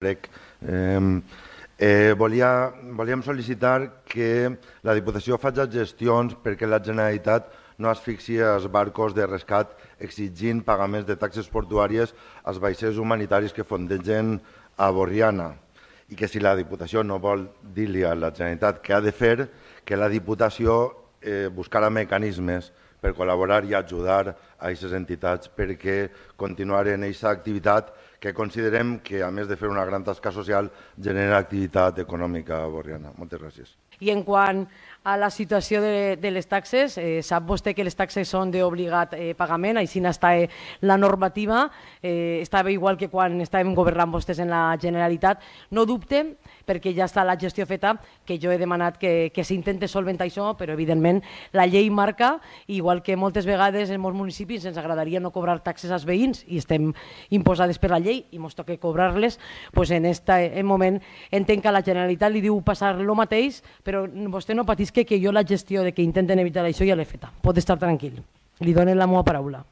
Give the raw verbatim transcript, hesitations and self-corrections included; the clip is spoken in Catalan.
Crec. Eh, eh, volia, volíem sol·licitar que la Diputació faci gestions perquè la Generalitat no asfixi els barcos de rescat exigint pagaments de taxes portuàries als vaixells humanitaris que fondegen a Borriana i que si la Diputació no vol dir-li a la Generalitat què ha de fer, que la Diputació eh, buscarà mecanismes per col·laborar i ajudar a aquestes entitats perquè continuaren aquesta activitat que considerem que, a més de fer una gran tasca social, genera activitat econòmica a Borriana. Moltes gràcies. I en quant a la situació de, de les taxes, eh, sap vostè que les taxes són d'obligat eh, pagament, així està eh, la normativa, eh, estava igual que quan estàvem governant vostès en la Generalitat. No dubte, perquè ja està la gestió feta, que jo he demanat que, que s'intente solventar això, però evidentment la llei marca, igual que moltes vegades en molts municipis ens agradaria no cobrar taxes als veïns i estem imposades per la llei i ens toca cobrar-les, doncs en aquest moment entenc que a la Generalitat li diu passar el mateix, però vostè no patisca que jo la gestió de que intenten evitar això ja l'he feta. Pot estar tranquil. Li donen la meva paraula.